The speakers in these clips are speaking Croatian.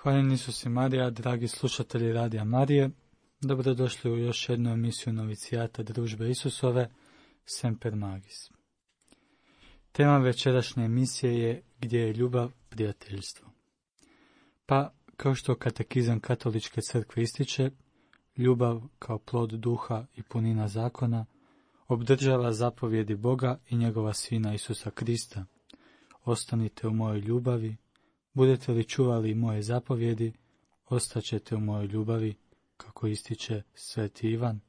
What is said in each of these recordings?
Hvala Isus i Marija, dragi slušatelji Radija Marije. Dobrodošli u još jednu emisiju novicijata Družbe Isusove, Semper Magis. Tema večerašnje emisije je Gdje je ljubav, prijateljstvo. Pa, kao što katekizam Katoličke crkve ističe, ljubav kao plod duha i punina zakona obdržava zapovjedi Boga i njegova Sina Isusa Krista. Ostanite u mojoj ljubavi, budete li čuvali moje zapovjedi, ostaćete u mojoj ljubavi, kako ističe Sveti Ivan.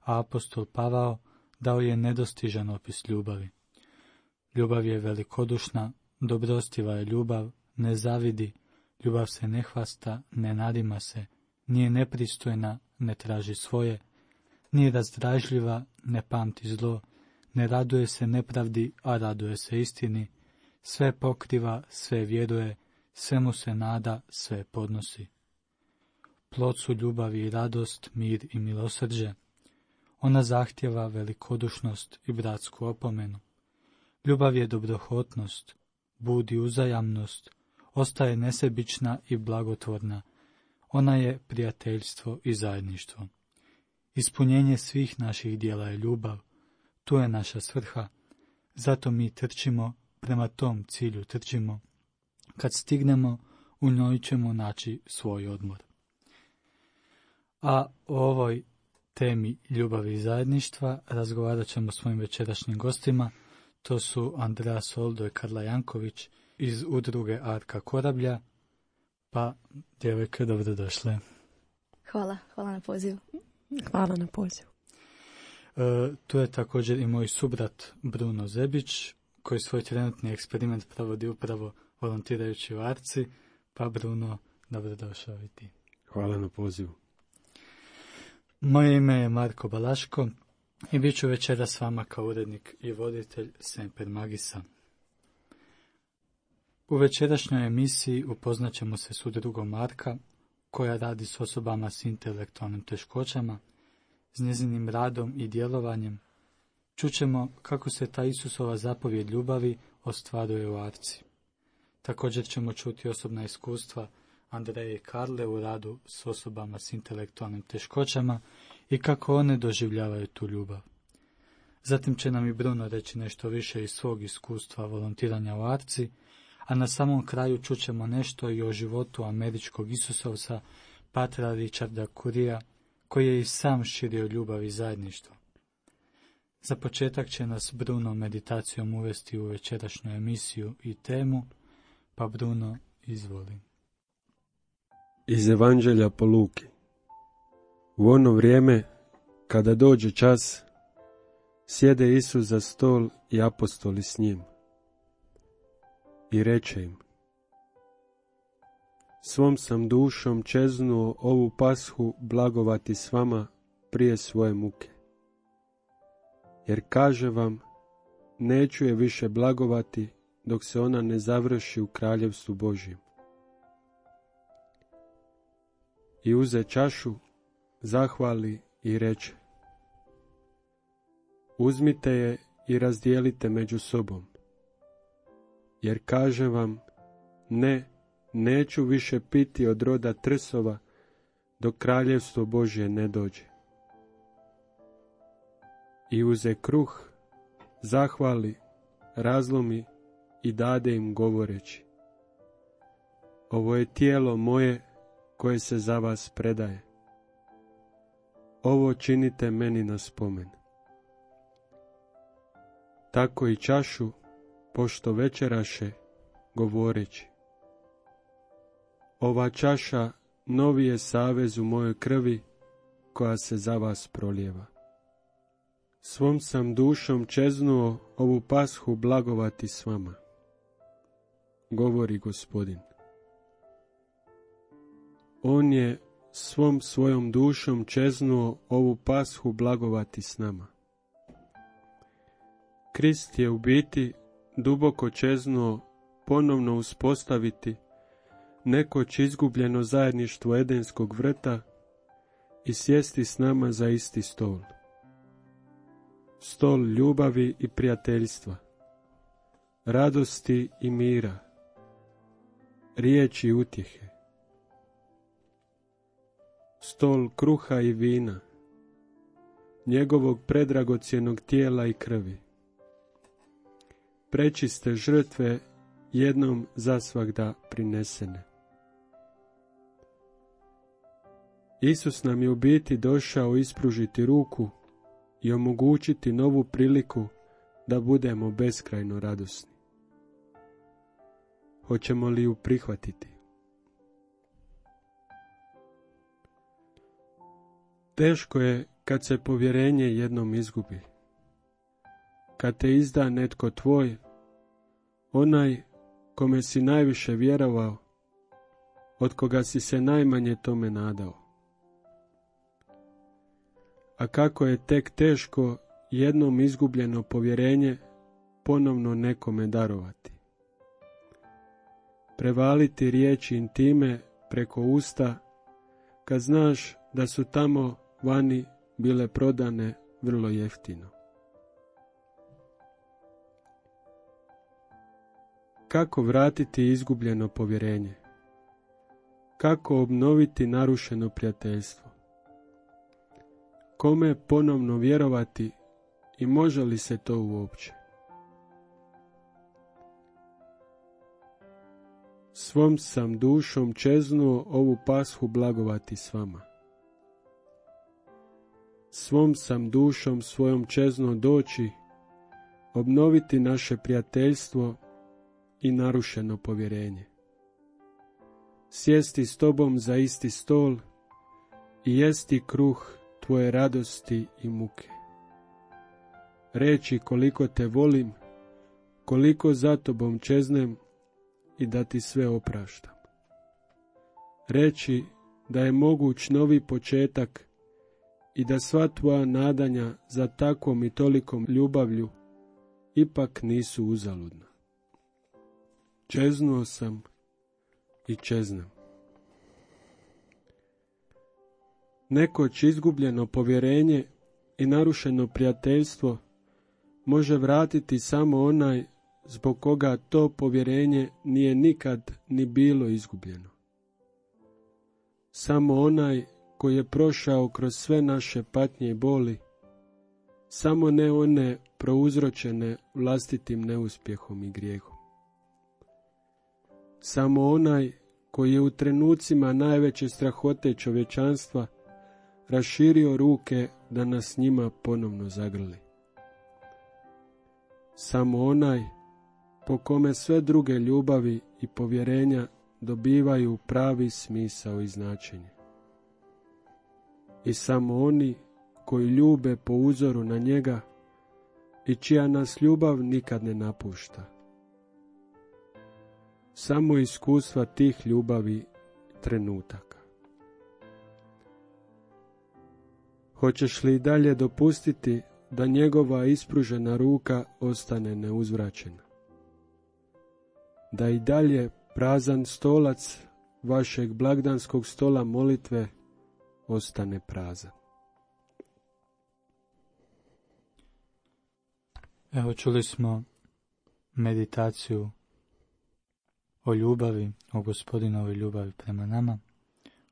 A apostol Pavao dao je nedostižan opis ljubavi. Ljubav je velikodušna, dobrostiva je ljubav, ne zavidi, ljubav se ne hvasta, ne nadima se, nije nepristojna, ne traži svoje, nije razdražljiva, ne pamti zlo, ne raduje se nepravdi, a raduje se istini, sve pokriva, sve vjeruje, svemu se nada, sve podnosi. Plod su ljubavi i radost, mir i milosrđe. Ona zahtjeva velikodušnost i bratsku opomenu. Ljubav je dobrohotnost, budi uzajamnost, ostaje nesebična i blagotvorna. Ona je prijateljstvo i zajedništvo. Ispunjenje svih naših djela je ljubav. Tu je naša svrha. Zato mi trčimo, prema tom cilju trčimo. Kad stignemo, u njoj ćemo naći svoj odmor. A o ovoj temi ljubavi i zajedništva razgovarat ćemo s svojim večerašnjim gostima. To su Andrea Soldo i Karla Janković iz udruge Arka Korablja. Pa, djevojke, dobrodošle. Hvala na pozivu. Hvala na pozivu. Tu je također i moj subrat Bruno Zebić, koji svoj trenutni eksperiment provodi upravo volontirajući u Arci. Pa, Bruno, dobrodošao i ti. Hvala na pozivu. Moje ime je Marko Balaško i bit ću večera s vama kao urednik i voditelj Semper Magisa. U večerašnjoj emisiji upoznat ćemo se s udrugom Arka, koja radi s osobama s intelektualnim teškoćama, s njezinim radom i djelovanjem. Čućemo kako se ta Isusova zapovjed ljubavi ostvaruje u Arci. Također ćemo čuti osobna iskustva Andreje i Karle u radu s osobama s intelektualnim teškoćama i kako one doživljavaju tu ljubav. Zatim će nam i Bruno reći nešto više iz svog iskustva volontiranja u Arci, a na samom kraju čućemo nešto i o životu američkog Isusovca patra Richarda Currya, koji je i sam širio ljubav i zajedništvo. Za početak će nas Bruno meditacijom uvesti u večerašnju emisiju i temu, pa Bruno, izvoli. Iz Evanđelja po Luki. U ono vrijeme, kada dođe čas, sjede Isus za stol i apostoli s njim. I reče im: Svom sam dušom čeznuo ovu pashu blagovati s vama prije svoje muke. Jer kaže vam, neću je više blagovati dok se ona ne završi u kraljevstvu Božjem. I uze čašu, zahvali i reče: Uzmite je i razdijelite među sobom. Jer kažem vam, neću više piti od roda trsova dok kraljevstvo Božje ne dođe. I uze kruh, zahvali, razlomi i dade im govoreći: Ovo je tijelo moje koje se za vas predaje. Ovo činite meni na spomen. Tako i čašu, pošto večeraše, govoreći: Ova čaša novi je savez u mojoj krvi, koja se za vas prolijeva. Svom sam dušom čeznuo ovu pashu blagovati s vama, govori Gospodin. On je svom svojom dušom čeznuo ovu pashu blagovati s nama. Krist je u biti duboko čeznuo ponovno uspostaviti nekoć izgubljeno zajedništvo Edenskog vrta i sjesti s nama za isti stol. Stol ljubavi i prijateljstva, radosti i mira, riječi utjehe, stol kruha i vina, njegovog predragocjenog tijela i krvi. Prečiste žrtve jednom zasvagda prinesene. Isus nam je u biti došao ispružiti ruku i omogućiti novu priliku da budemo beskrajno radosni. Hoćemo li ju prihvatiti? Teško je kad se povjerenje jednom izgubi. Kad te izda netko tvoj, onaj kome si najviše vjerovao, od koga si se najmanje tome nadao. A kako je tek teško jednom izgubljeno povjerenje ponovno nekome darovati. Prevaliti riječi intime preko usta, kad znaš da su tamo vani bile prodane vrlo jeftino. Kako vratiti izgubljeno povjerenje? Kako obnoviti narušeno prijateljstvo? Kome ponovno vjerovati i može li se to uopće? Svom sam dušom čeznuo ovu pashu blagovati s vama. Svom sam dušom svojom čeznuo doći, obnoviti naše prijateljstvo i narušeno povjerenje. Sjesti s tobom za isti stol i jesti kruh tvoje radosti i muke. Reći koliko te volim, koliko za tobom čeznem i da ti sve opraštam. Reći da je moguć novi početak i da sva tvoja nadanja za takvom i tolikom ljubavlju ipak nisu uzaludna. Čeznuo sam i čeznem. Nekoć izgubljeno povjerenje i narušeno prijateljstvo može vratiti samo onaj zbog koga to povjerenje nije nikad ni bilo izgubljeno. Samo onaj koji je prošao kroz sve naše patnje i boli, samo ne one prouzročene vlastitim neuspjehom i grijehom. Samo onaj koji je u trenucima najveće strahote čovječanstva raširio ruke da nas njima ponovno zagrli. Samo onaj po kome sve druge ljubavi i povjerenja dobivaju pravi smisao i značenje. I samo oni koji ljube po uzoru na njega i čija nas ljubav nikad ne napušta. Samo iskustva tih ljubavi trenutaka. Hoćeš li dalje dopustiti da njegova ispružena ruka ostane neuzvraćena? Da i dalje prazan stolac vašeg blagdanskog stola molitve ostane prazan. Evo, čuli smo meditaciju o ljubavi, o Gospodinovoj ljubavi prema nama.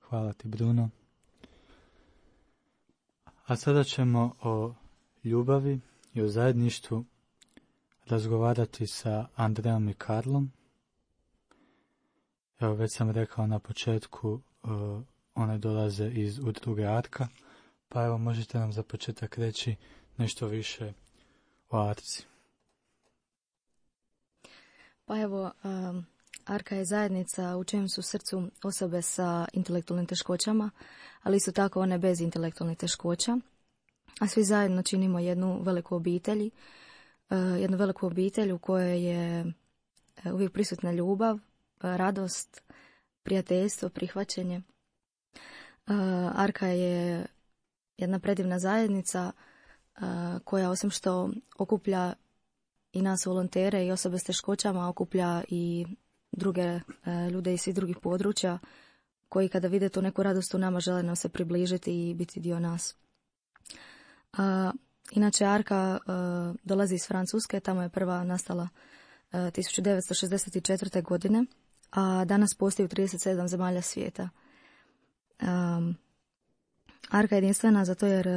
Hvala ti, Bruno. A sada ćemo o ljubavi i o zajedništvu razgovarati sa Andreom i Karlom. Evo, već sam rekao na početku, one dolaze iz udruge Arka, pa evo, možete nam za početak reći nešto više o Arci. Pa evo, Arka je zajednica u čijem su srcu osobe sa intelektualnim teškoćama, ali isto tako one bez intelektualnih teškoća. A svi zajedno činimo jednu veliku obitelj u kojoj je uvijek prisutna ljubav, radost, prijateljstvo, prihvaćanje. Arka je jedna predivna zajednica koja osim što okuplja i nas volontere i osobe s teškoćama, okuplja i druge ljude iz svih drugih područja koji kada vide tu neku radost u nama žele nam se približiti i biti dio nas. Inače, Arka dolazi iz Francuske, tamo je prva nastala 1964. godine, a danas postoji u 37 zemalja svijeta. Arka je jedinstvena zato jer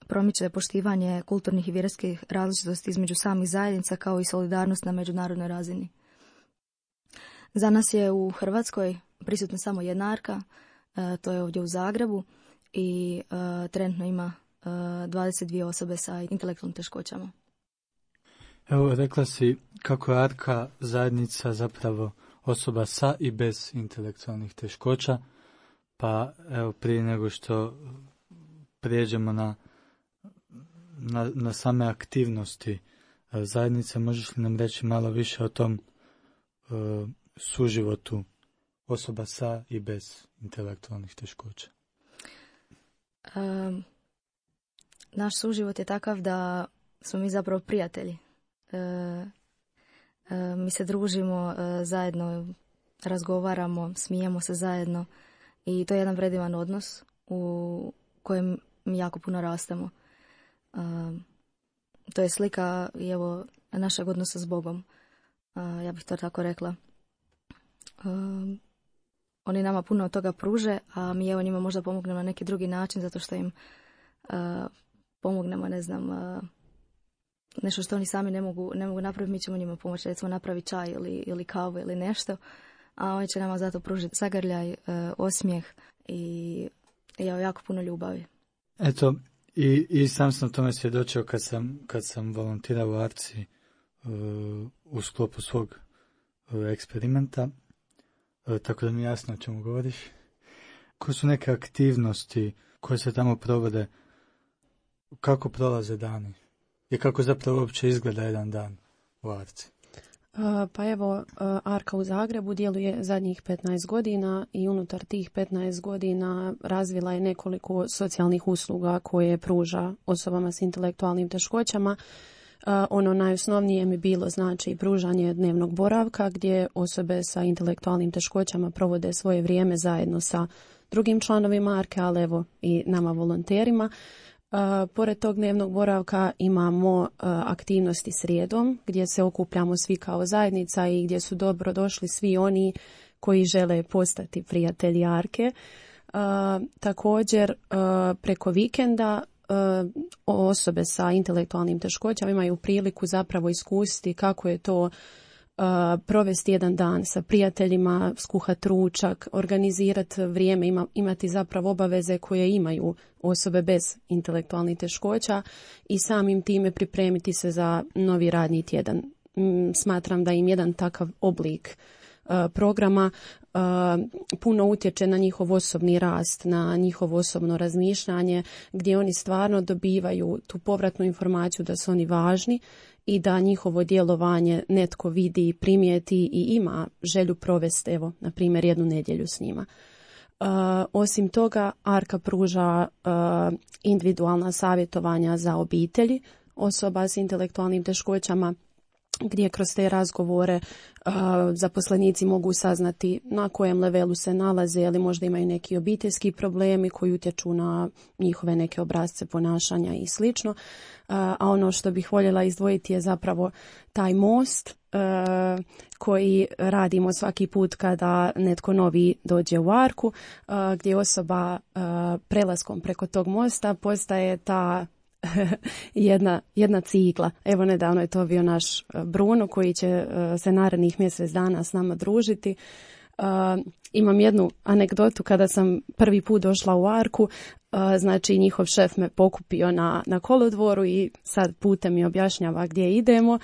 promiče poštivanje kulturnih i vjerskih različitosti između samih zajednica kao i solidarnost na međunarodnoj razini. Za nas je u Hrvatskoj prisutna samo jedna arka, to je ovdje u Zagrebu i trenutno ima 22 osobe sa intelektualnim teškoćama. Evo, rekla si kako je Arka zajednica zapravo osoba sa i bez intelektualnih teškoća, pa evo prije nego što prijeđemo na same aktivnosti zajednice, možeš li nam reći malo više o tom suživotu osoba sa i bez intelektualnih teškoća? Naš suživot je takav da smo mi zapravo prijatelji. Mi se družimo zajedno, razgovaramo, smijemo se zajedno i to je jedan vredivan odnos u kojem mi jako puno rastemo. To je slika i evo našeg odnosa s Bogom. Ja bih to tako rekla. Oni nama puno od toga pruže, a mi evo njima možda pomognemo na neki drugi način zato što im pomognemo, ne znam, nešto što oni sami ne mogu napraviti, mi ćemo njima pomoći, recimo napraviti čaj ili kavu ili nešto, a oni će nama zato pružiti zagrljaj, osmijeh i jako puno ljubavi. Eto, i sam sam tome svjedočio kad sam volontirao u Arci u sklopu svog eksperimenta, tako da mi je jasno o čemu govoriš. Koje su neke aktivnosti koje se tamo provode, kako prolaze dani i kako zapravo uopće izgleda jedan dan u Arci? Pa evo, Arka u Zagrebu djeluje zadnjih 15 godina i unutar tih 15 godina razvila je nekoliko socijalnih usluga koje pruža osobama s intelektualnim teškoćama. Ono najosnovnije mi bilo znači pružanje dnevnog boravka gdje osobe sa intelektualnim teškoćama provode svoje vrijeme zajedno sa drugim članovima Arke, ali evo i nama volonterima. Pored tog dnevnog boravka imamo aktivnosti srijedom gdje se okupljamo svi kao zajednica i gdje su dobro došli svi oni koji žele postati prijatelji Arke. Također preko vikenda osobe sa intelektualnim teškoćama imaju priliku zapravo iskusiti kako je to provesti jedan dan sa prijateljima, skuhati ručak, organizirati vrijeme, imati zapravo obaveze koje imaju osobe bez intelektualnih teškoća i samim time pripremiti se za novi radni tjedan. Smatram da im jedan takav oblik programa puno utječe na njihov osobni rast, na njihovo osobno razmišljanje, gdje oni stvarno dobivaju tu povratnu informaciju da su oni važni i da njihovo djelovanje netko vidi, primijeti i ima želju provesti, evo, na primjer, jednu nedjelju s njima. Osim toga, Arka pruža individualna savjetovanja za obitelji osoba s intelektualnim teškoćama, gdje kroz te razgovore zaposlenici mogu saznati na kojem levelu se nalaze, ili možda imaju neki obiteljski problemi koji utječu na njihove neke obrasce ponašanja i slično. A ono što bih voljela izdvojiti je zapravo taj most koji radimo svaki put kada netko novi dođe u Arku, gdje osoba prelaskom preko tog mosta postaje ta jedna cigla. Evo, nedavno je to bio naš Bruno koji će se narednih mjesec dana s nama družiti. Imam jednu anegdotu kada sam prvi put došla u Arku, znači njihov šef me pokupio na kolodvoru i sad putem mi objašnjava gdje idemo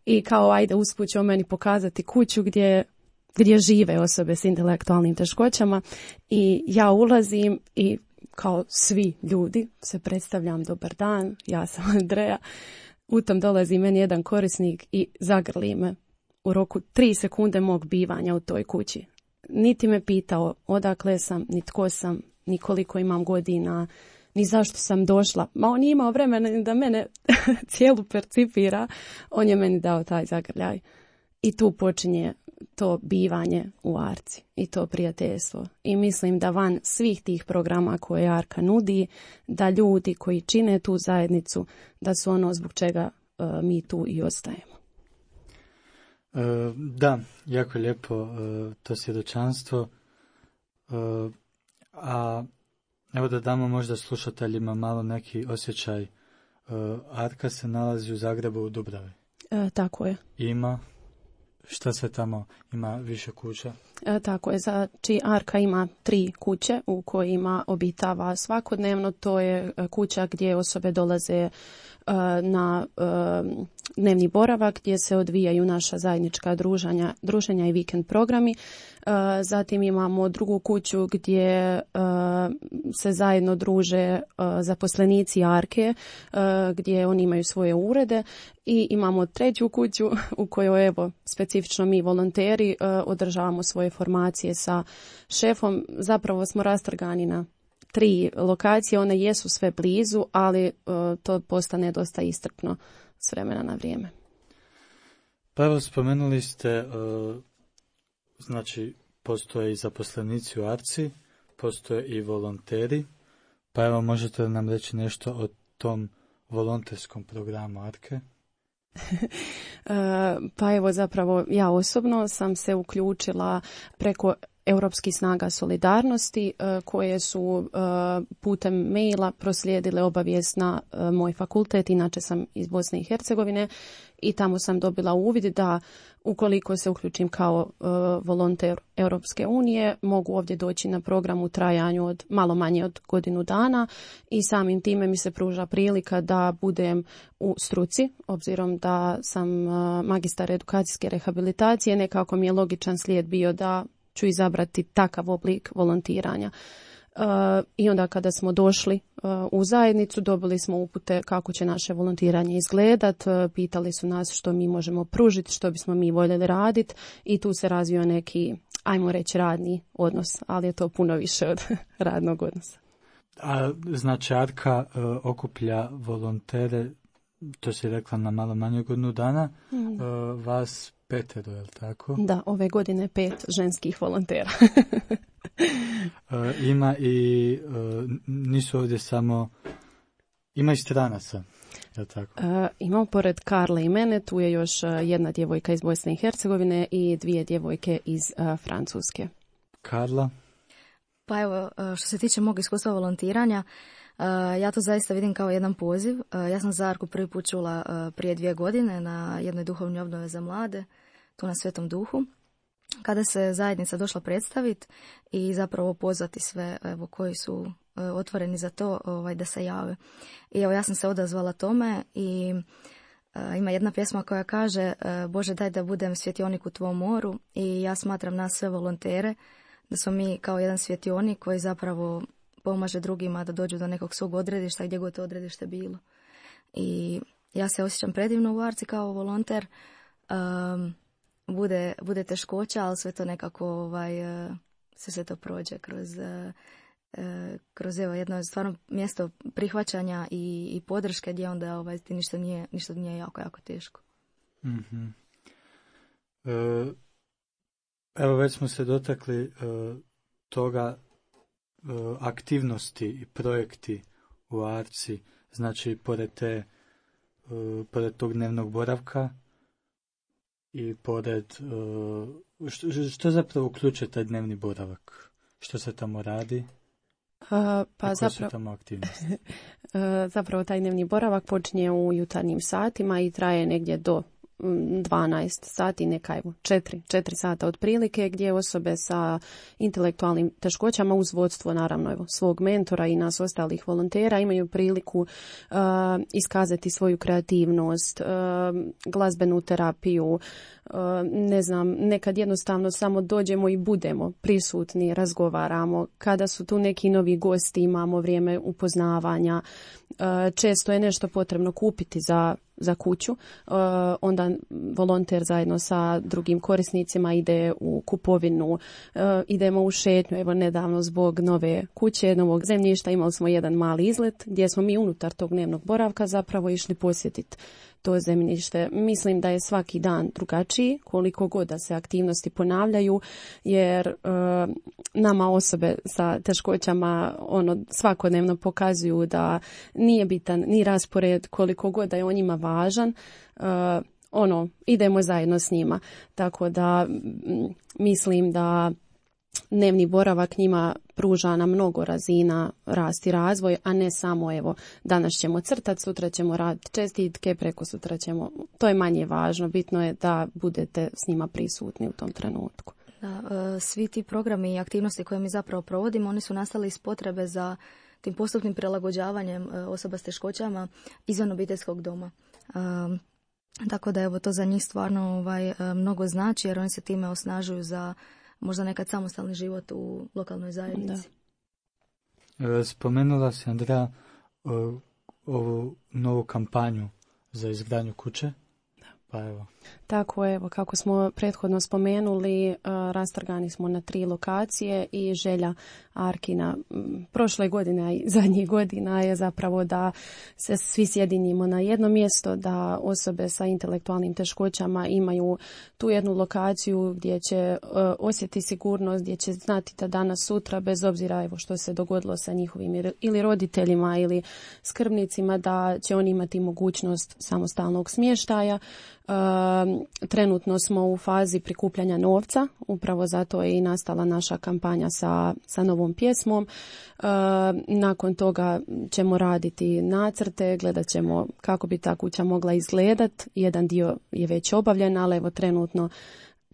i kao ajde usput će meni pokazati kuću gdje žive osobe s intelektualnim teškoćama i ja ulazim i kao svi ljudi se predstavljam, dobar dan, ja sam Andreja. U tom dolazi meni jedan korisnik i zagrli me u roku 3 sekunde mog bivanja u toj kući. Niti me pitao odakle sam, ni tko sam, ni koliko imam godina, ni zašto sam došla. Ma on je imao vremena da mene cijelu percipira, on je meni dao taj zagrljaj. I tu počinje to bivanje u Arci i to prijateljstvo. I mislim da van svih tih programa koje Arka nudi, da ljudi koji čine tu zajednicu, da su ono zbog čega mi tu i ostajemo. Da, jako lijepo to svjedočanstvo. A Evo da damo možda slušateljima malo neki osjećaj. Arka se nalazi u Zagrebu u Dubravi. Tako je. Ima, šta se tamo, ima više kuća? Tako je, znači Arka ima 3 kuće u kojima obitava svakodnevno. To je kuća gdje osobe dolaze na dnevni boravak, gdje se odvijaju naša zajednička druženja i vikend programi. Zatim imamo drugu kuću gdje se zajedno druže zaposlenici Arke, gdje oni imaju svoje urede, i imamo treću kuću u kojoj evo specifično mi volonteri održavamo svoje formacije sa šefom. Zapravo smo rastrgani na 3 lokacije, one jesu sve blizu, ali to postane dosta iscrpno s vremena na vrijeme. Pa evo, spomenuli ste, znači postoje i zaposlenici u Arci, postoje i volonteri, pa evo možete nam reći nešto o tom volonterskom programu Arke? Pa evo, zapravo ja osobno sam se uključila preko Europskih snaga solidarnosti koje su putem maila proslijedile obavijest na moj fakultet, inače sam iz Bosne i Hercegovine, i tamo sam dobila uvid da ukoliko se uključim kao volonter Europske unije mogu ovdje doći na program u trajanju od malo manje od godinu dana, i samim time mi se pruža prilika da budem u struci, obzirom da sam magistar edukacijske rehabilitacije. Nekako mi je logičan slijed bio da ću izabrati takav oblik volontiranja. I onda kada smo došli u zajednicu, dobili smo upute kako će naše volontiranje izgledat, pitali su nas što mi možemo pružiti, što bismo mi voljeli raditi, i tu se razvio neki, ajmo reći, radni odnos, ali je to puno više od radnog odnosa. A znači Arka okuplja volontere, to si rekla, na malo manje godinu dana, vas 5, je li tako? Da, ove godine 5 ženskih volontera. Ima i, nisu ovdje samo, ima i stranaca, je li tako? Imamo pored Karle i mene, tu je još jedna djevojka iz Bosne i Hercegovine i 2 djevojke iz Francuske. Karla? Pa evo, što se tiče mog iskustva volontiranja, ja to zaista vidim kao jedan poziv. Ja sam za Arku prvi put čula prije 2 godine na jednoj duhovnoj obnovi za mlade, tu na Svetom Duhu, kada se zajednica došla predstaviti i zapravo pozvati sve evo, koji su otvoreni za to da se jave. I evo, ja sam se odazvala tome i ima jedna pjesma koja kaže Bože, daj da budem svjetionik u tvom moru, i ja smatram nas sve volontere da smo mi kao jedan svjetionik koji zapravo pomaže drugima da dođu do nekog svog odredišta, gdje god to odredište bilo. I ja se osjećam predivno u Arci kao volonter. Bude teškoća, ali sve to nekako sve to prođe kroz evo, jedno stvarno mjesto prihvaćanja i podrške, gdje onda ti ništa nije jako, jako teško. Mm-hmm. Evo, već smo se dotakli toga, aktivnosti i projekti u Arci, znači pored tog dnevnog boravka i pored, što zapravo uključuje taj dnevni boravak? Što se tamo radi? Koje su tamo aktivnosti? Zapravo taj dnevni boravak počinje u jutarnjim satima i traje negdje do 12 sati, neka evo 4 sata otprilike, gdje osobe sa intelektualnim teškoćama uz vodstvo naravno evo svog mentora i nas ostalih volontera imaju priliku iskazati svoju kreativnost, glazbenu terapiju, ne znam, nekad jednostavno samo dođemo i budemo prisutni, razgovaramo. Kada su tu neki novi gosti imamo vrijeme upoznavanja. Često je nešto potrebno kupiti za kuću, onda volonter zajedno sa drugim korisnicima ide u kupovinu, idemo u šetnju. Evo nedavno zbog nove kuće, novog zemljišta imali smo jedan mali izlet gdje smo mi unutar tog dnevnog boravka zapravo išli posjetiti to zemljište. Mislim da je svaki dan drugačiji, koliko god da se aktivnosti ponavljaju, jer nama osobe sa teškoćama svakodnevno pokazuju da nije bitan ni raspored, koliko god da je on njima važan, idemo zajedno s njima. Tako da mislim da dnevni boravak njima pruža na mnogo razina rast i razvoj, a ne samo evo danas ćemo crtati, sutra ćemo raditi čestitke, preko sutra ćemo, to je manje važno, bitno je da budete s njima prisutni u tom trenutku. Da, svi ti programi i aktivnosti koje mi zapravo provodimo, oni su nastali iz potrebe za tim postupnim prilagođavanjem osoba s teškoćama izvan obiteljskog doma. Tako da evo to za njih stvarno mnogo znači, jer oni se time osnažuju za možda nekad samostalni život u lokalnoj zajednici. Da. Spomenula si, Andrea, ovu novu kampanju za izgradnju kuće. Pa evo. Tako, evo, kako smo prethodno spomenuli, rastrgani smo na 3 lokacije i želja Arkina prošle godine, a i zadnjih godina je zapravo da se svi sjedinimo na jedno mjesto, da osobe sa intelektualnim teškoćama imaju tu jednu lokaciju gdje će osjetiti sigurnost, gdje će znati da danas sutra, bez obzira evo što se dogodilo sa njihovim ili roditeljima ili skrbnicima, da će oni imati mogućnost samostalnog smještaja. Trenutno smo u fazi prikupljanja novca, upravo zato je i nastala naša kampanja sa novom pjesmom. Nakon toga ćemo raditi nacrte, gledat ćemo kako bi ta kuća mogla izgledat. Jedan dio je već obavljen, ali evo trenutno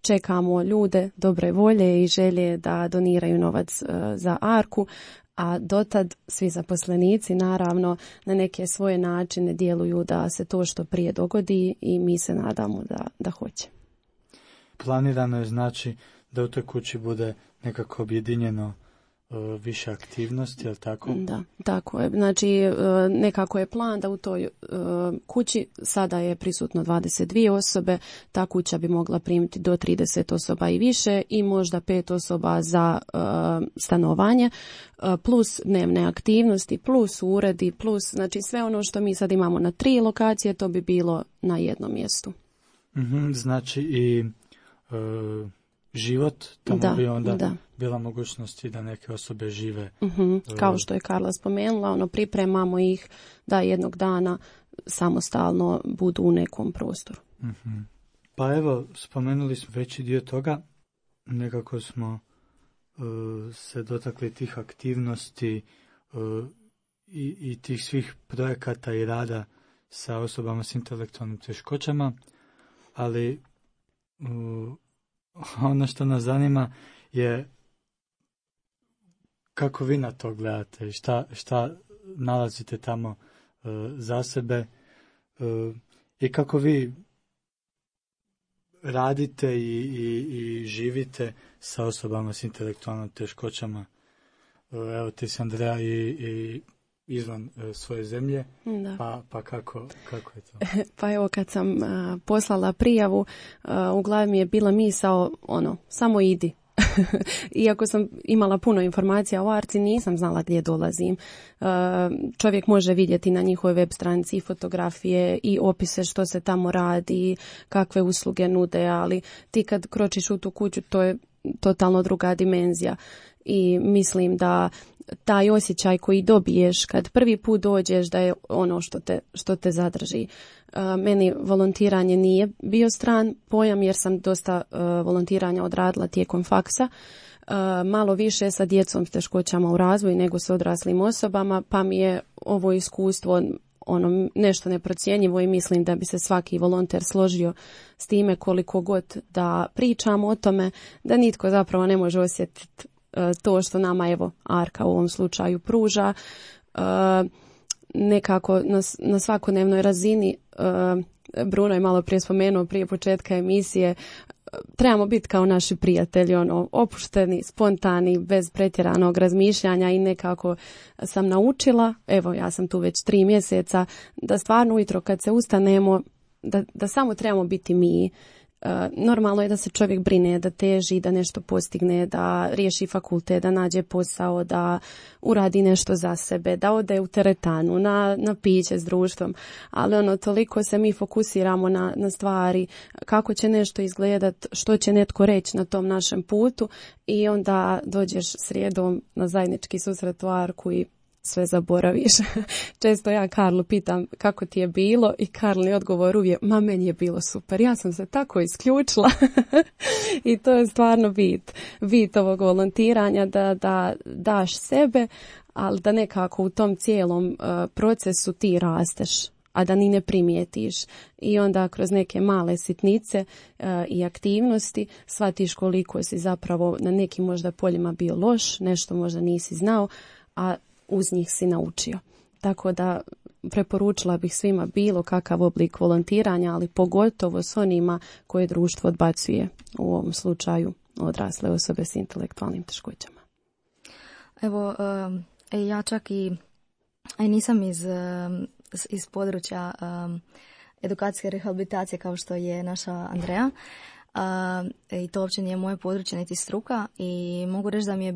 čekamo ljude dobre volje i želje da doniraju novac za Arku, a dotad svi zaposlenici naravno na neke svoje načine djeluju da se to što prije dogodi i mi se nadamo da hoće. Planirano je znači da u toj kući bude nekako objedinjeno više aktivnosti, je li tako? Da, tako je. Znači nekako je plan da u toj kući sada je prisutno 22 osobe, ta kuća bi mogla primiti do 30 osoba i više i možda 5 osoba za stanovanje, plus dnevne aktivnosti, plus uredi, plus znači sve ono što mi sad imamo na 3 lokacije, to bi bilo na jednom mjestu. Znači i život, tamo bi onda bila mogućnost da neke osobe žive. Kao što je Karla spomenula, pripremamo ih da jednog dana samostalno budu u nekom prostoru. Pa evo, spomenuli smo veći dio toga, nekako smo se dotakli tih aktivnosti i tih svih projekata i rada sa osobama s intelektualnim teškoćama, ali ono što nas zanima je kako vi na to gledate i šta nalazite tamo za sebe i kako vi radite i živite sa osobama s intelektualnim teškoćama. Evo ti si, Andrea, i izvan svoje zemlje, pa kako je to? Pa evo, kad sam poslala prijavu, u glavi mi je bila misao, samo idi. Iako sam imala puno informacija o Arci, nisam znala gdje dolazim. Čovjek može vidjeti na njihovoj web stranici i fotografije i opise što se tamo radi, kakve usluge nude, ali ti kad kročiš u tu kuću, to je totalno druga dimenzija. I mislim da taj osjećaj koji dobiješ kad prvi put dođeš, da je ono što te zadrži. Meni volontiranje nije bio stran pojam, jer sam dosta volontiranja odradila tijekom faksa. Malo više sa djecom s teškoćama u razvoju nego s odraslim osobama, pa mi je ovo iskustvo nešto neprocjenjivo i mislim da bi se svaki volonter složio s time, koliko god da pričamo o tome, da nitko zapravo ne može osjetiti to što nama evo Arka u ovom slučaju pruža. Nekako na svakodnevnoj razini, Bruno je malo prije spomenuo prije početka emisije, trebamo biti kao naši prijatelji, opušteni, spontani, bez pretjeranog razmišljanja, i nekako sam naučila, evo ja sam tu već 3 mjeseca, da stvarno ujutro kad se ustanemo, da samo trebamo biti mi. Normalno je da se čovjek brine, da teži, da nešto postigne, da riješi fakultet, da nađe posao, da uradi nešto za sebe, da ode u teretanu, na piće s društvom, ali toliko se mi fokusiramo na stvari, kako će nešto izgledat, što će netko reći na tom našem putu, i onda dođeš srijedom na zajednički susret u Arku i sve zaboraviš. Često ja Karlu pitam kako ti je bilo i Karlin odgovor uvijek, meni je bilo super, ja sam se tako isključila. I to je stvarno bit ovog volontiranja, da daš sebe, ali da nekako u tom cijelom procesu ti rasteš, a da ni ne primijetiš. I onda kroz neke male sitnice i aktivnosti shvatiš koliko si zapravo na nekim možda poljima bio loš, nešto možda nisi znao, a uz njih si naučio. Tako da preporučila bih svima bilo kakav oblik volontiranja, ali pogotovo s onima koje društvo odbacuje, u ovom slučaju odrasle osobe s intelektualnim teškoćama. Evo, ja čak i nisam iz područja edukacijske rehabilitacije kao što je naša Andreja. I to uopće nije moje područje niti struka i mogu reći da mi je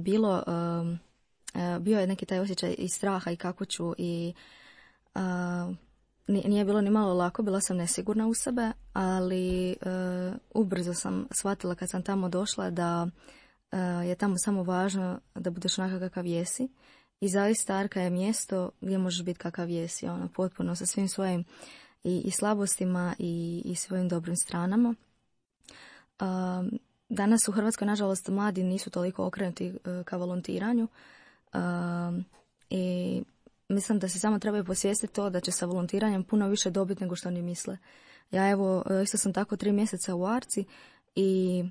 bio je neki taj osjećaj i straha i kako ću i nije bilo ni malo lako, bila sam nesigurna u sebe, ali ubrzo sam shvatila kad sam tamo došla da je tamo samo važno da budeš onakav kakav jesi. I zaista Arka je mjesto gdje možeš biti kakav jesi, potpuno sa svim svojim i slabostima i svojim dobrim stranama. Danas u Hrvatskoj, nažalost, mladi nisu toliko okrenuti ka volontiranju i mislim da se samo trebaju posvijestiti to da će sa volontiranjem puno više dobiti nego što oni misle. Ja isto sam tako 3 mjeseca u Arci i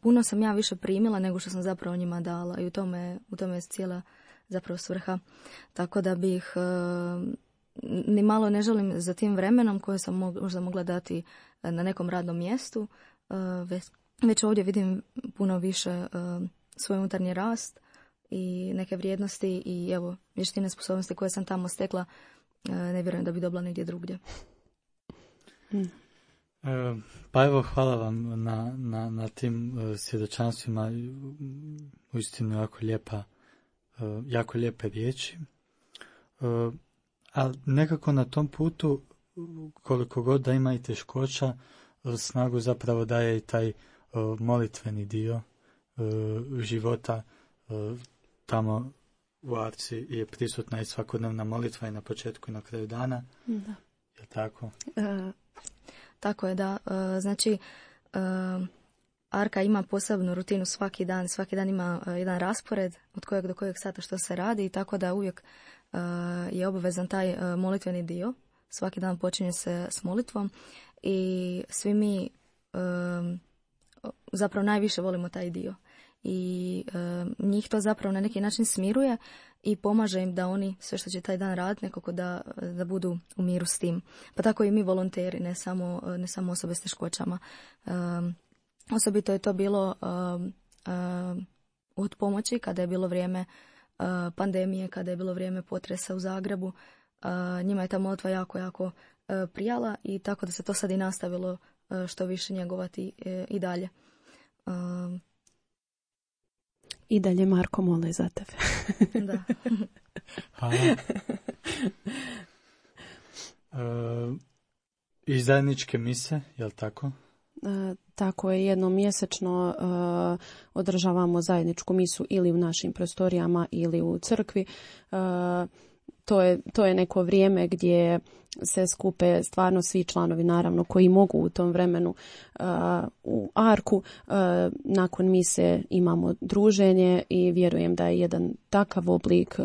puno sam ja više primila nego što sam zapravo njima dala i u tome je cijela zapravo svrha. Tako da bih ni malo ne želim za tim vremenom koje sam možda mogla dati na nekom radnom mjestu, već ovdje vidim puno više svoj unutarnji rast i neke vrijednosti i evo vještine, sposobnosti koje sam tamo stekla, ne vjerujem da bi dobila negdje drugdje. Pa evo, hvala vam na tim svjedočanstvima, uistinu jako lijepe riječi. Ali nekako na tom putu, koliko god da ima i teškoća, snagu zapravo daje i taj molitveni dio života. Tamo u Arci je prisutna i svakodnevna molitva i na početku i na kraju dana. Da. Je tako? Tako je, da. Znači, Arka ima posebnu rutinu svaki dan ima jedan raspored od kojeg do kojeg sata što se radi, tako da uvijek je obavezan taj molitveni dio. Svaki dan počinje se s molitvom i svi mi zapravo najviše volimo taj dio. I njih to zapravo na neki način smiruje i pomaže im da oni sve što će taj dan raditi nekako da budu u miru s tim. Pa tako i mi volonteri, ne samo osobe s teškoćama. Osobito je to bilo od pomoći kada je bilo vrijeme pandemije, kada je bilo vrijeme potresa u Zagrebu. Njima je ta molitva jako prijala i tako da se to sad i nastavilo što više njegovati i dalje. I dalje Marko mole za tebe. Da. I zajedničke mise, je li tako? Tako je, jednom mjesečno održavamo zajedničku misu ili u našim prostorijama ili u crkvi. To je neko vrijeme gdje se skupe stvarno svi članovi, naravno, koji mogu u tom vremenu u Arku. Nakon mise imamo druženje i vjerujem da je jedan takav oblik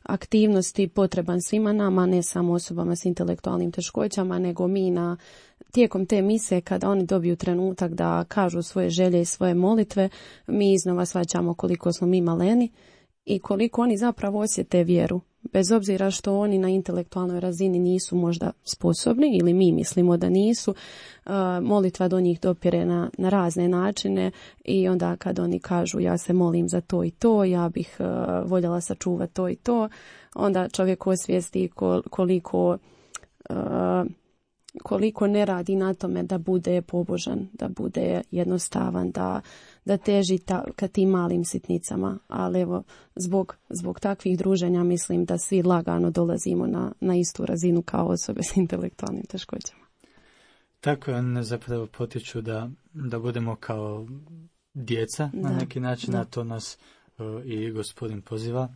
aktivnosti potreban svima nama, ne samo osobama s intelektualnim teškoćama, nego mi tijekom te mise, kada oni dobiju trenutak da kažu svoje želje i svoje molitve, mi iznova shvaćamo koliko smo mi maleni i koliko oni zapravo osjete vjeru. Bez obzira što oni na intelektualnoj razini nisu možda sposobni ili mi mislimo da nisu, molitva do njih dopire na razne načine i onda kad oni kažu ja se molim za to i to, ja bih voljela sačuvati to i to, onda čovjek osvijesti koliko ne radi na tome da bude pobožan, da bude jednostavan, da teži ka tim malim sitnicama. Ali evo, zbog takvih druženja mislim da svi lagano dolazimo na istu razinu kao osobe s intelektualnim teškoćama. Tako je, one zapravo potiču da budemo kao djeca na neki način, a to nas i Gospodin poziva.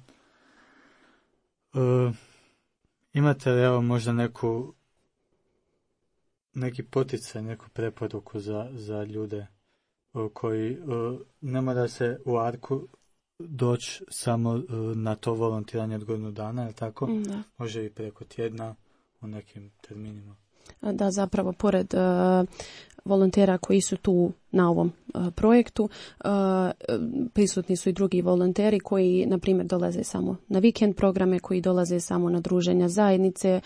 Imate li evo možda neki poticaj, neku preporuku za ljude koji ne mora se u Arku doći samo na to volontiranje od godinu dana, je li tako? Da. Može i preko tjedna u nekim terminima. Da, zapravo, pored volontera koji su tu na ovom projektu, prisutni su i drugi volonteri koji, na primjer, dolaze samo na vikend programe, koji dolaze samo na druženja zajednice.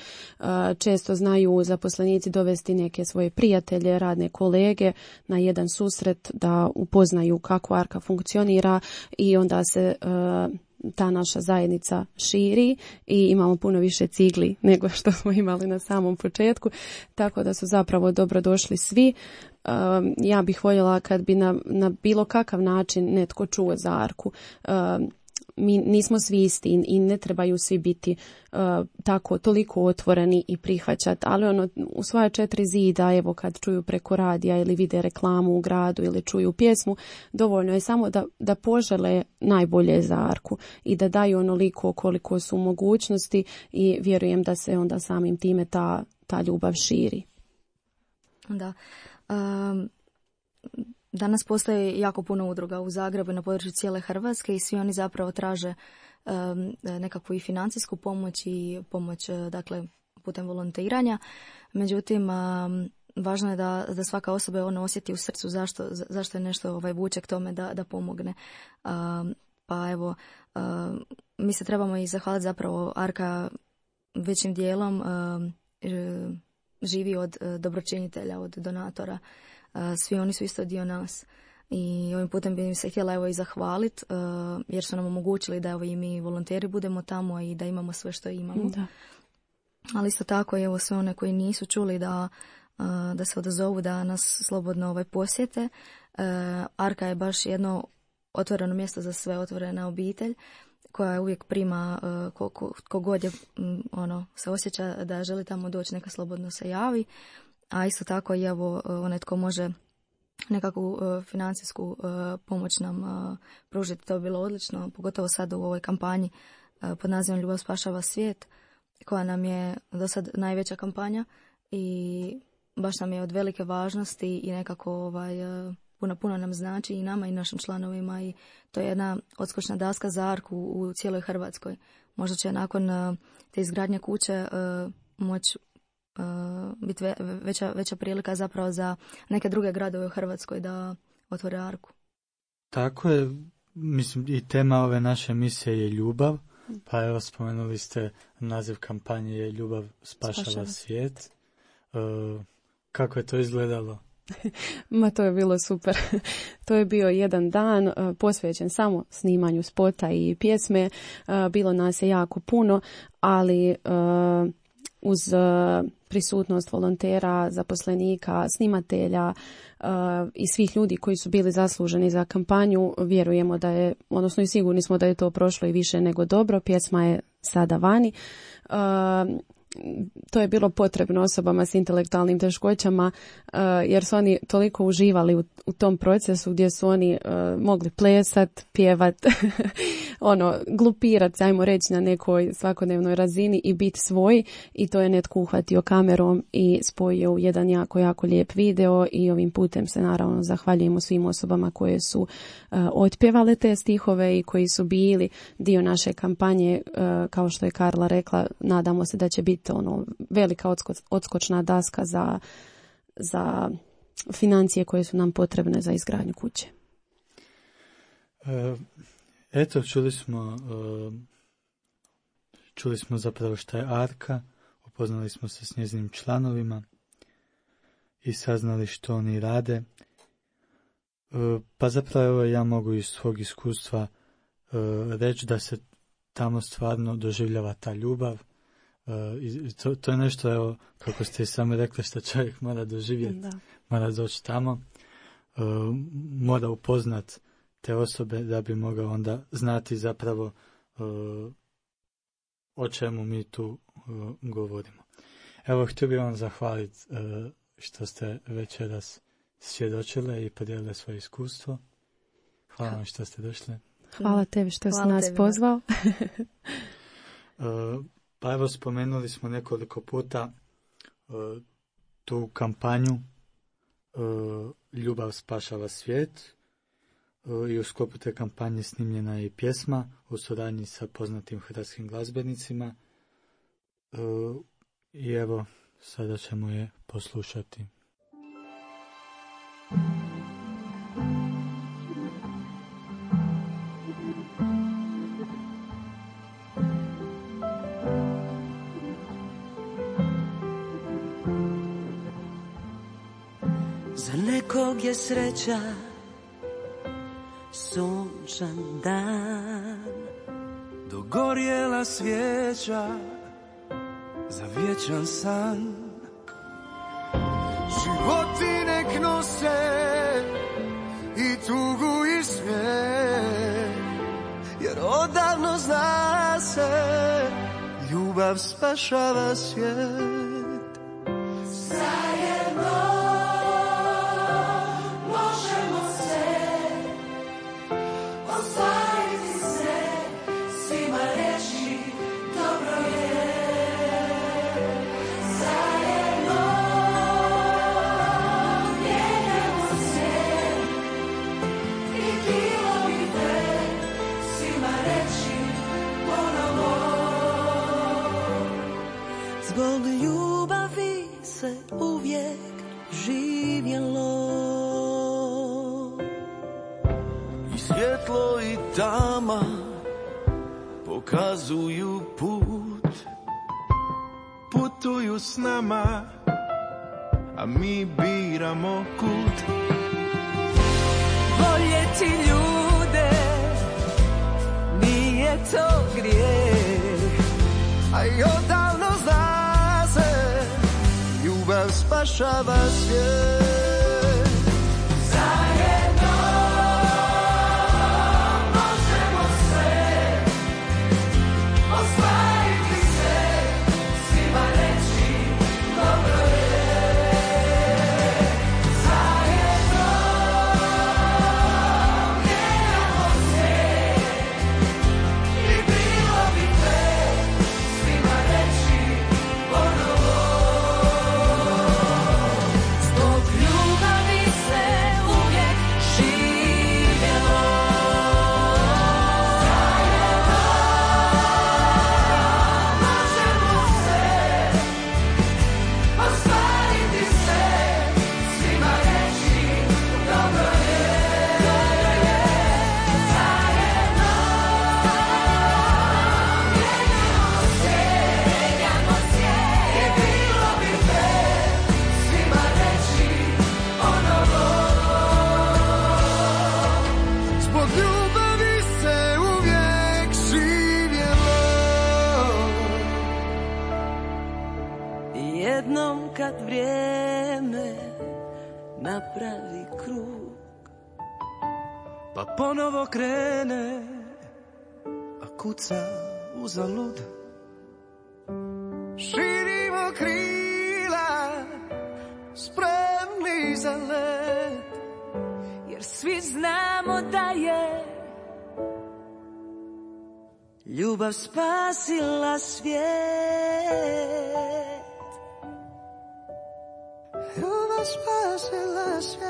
Često znaju zaposlenici dovesti neke svoje prijatelje, radne kolege na jedan susret da upoznaju kako Arka funkcionira i onda se ta naša zajednica širi i imamo puno više cigli nego što smo imali na samom početku, tako da su zapravo dobrodošli svi. Ja bih voljela kad bi na bilo kakav način netko čuo za Arku. Mi nismo svi isti i ne trebaju svi biti tako toliko otvoreni i prihvaćati, ali u svoja 4 zida, evo kad čuju preko radija ili vide reklamu u gradu ili čuju pjesmu, dovoljno je samo da požele najbolje za Arku i da daju onoliko koliko su mogućnosti i vjerujem da se onda samim time ta ljubav širi. Da. Danas postoji jako puno udruga u Zagrebu na području cijele Hrvatske i svi oni zapravo traže nekakvu i financijsku pomoć i pomoć, dakle, putem volontiranja. Međutim, važno je da svaka osoba osjeti u srcu zašto je nešto vuče k tome da pomogne. Pa evo, mi se trebamo i zahvaliti, zapravo Arka većim dijelom živi od dobročinitelja, od donatora. Svi oni su isto dio nas i ovim putem bi im se htjela i zahvaliti jer su nam omogućili da i mi volonteri budemo tamo i da imamo sve što imamo. Da. Ali isto tako sve one koji nisu čuli da se odazovu, da nas slobodno posjete. Arka je baš jedno otvoreno mjesto za sve, otvorena obitelj koja uvijek prima kogod je se osjeća da želi tamo doći, neka slobodno se javi. A isto tako i onaj tko može nekakvu financijsku pomoć nam pružiti, to bi bilo odlično, pogotovo sad u ovoj kampanji pod nazivom Ljubav spašava svijet, koja nam je do sad najveća kampanja i baš nam je od velike važnosti i nekako puno nam znači i nama i našim članovima i to je jedna odskočna daska za Arku u cijeloj Hrvatskoj. Možda će nakon te izgradnje kuće moći biti veća prilika zapravo za neke druge gradove u Hrvatskoj da otvore Arku. Tako je, mislim i tema ove naše misije je ljubav, pa evo spomenuli ste naziv kampanje je Ljubav spašava svijet. Kako je to izgledalo? Ma to je bilo super. To je bio jedan dan posvećen samo snimanju spota i pjesme. Bilo nas je jako puno, ali uz prisutnost volontera, zaposlenika, snimatelja i svih ljudi koji su bili zasluženi za kampanju, vjerujemo da je, odnosno i sigurni smo da je to prošlo i više nego dobro. Pjesma je sada vani. To je bilo potrebno osobama s intelektualnim teškoćama jer su oni toliko uživali u tom procesu gdje su oni mogli plesat, pjevat, glupirat, ajmo reći, na nekoj svakodnevnoj razini i biti svoj, i to je netko uhvatio kamerom i spojio u jedan jako, jako lijep video i ovim putem se naravno zahvaljujemo svim osobama koje su otpjevale te stihove i koji su bili dio naše kampanje. Kao što je Karla rekla, nadamo se da će biti velika odskočna daska za financije koje su nam potrebne za izgradnju kuće. Eto, čuli smo zapravo šta je Arka, upoznali smo se s njezinim članovima i saznali što oni rade. Pa zapravo ja mogu iz svog iskustva reći da se tamo stvarno doživljava ta ljubav. To je nešto, evo, kako ste i sami rekli, što čovjek mora doživjeti, mora doći tamo, mora upoznat te osobe da bi mogao onda znati zapravo o čemu mi tu govorimo. Evo, htio bih vam zahvaliti što ste večeras svjedočile i podijelile svoje iskustvo. Hvala vam što ste došli. Hvala tebi što si nas pozvao. Pa evo, spomenuli smo nekoliko puta tu kampanju Ljubav spašava svijet, i u sklopu te kampanje snimljena je i pjesma u suradnji sa poznatim hrvatskim glazbenicima, i evo sada ćemo je poslušati. Za nekog je sreća sunčan dan, dogorjela svijeća za vječan san. Životi nek nose i tugu i smijeh, jer odavno zna se, ljubav spašava svijet. Zbog ljubavi se uvijek živjelo, I svjetlo i tama pokazuju put, putuju s nama, a mi biramo kud. voljeti ljude, nije to grijeh, A i odavno zna se, ljubav spašava svijet. jednom kad vrijeme napravi krug, pa ponovo krene, a kuca uzalud. Širimo krila, spremni za let, jer svi znamo da je ljubav spasila svijet. Ljubav spasila svijet.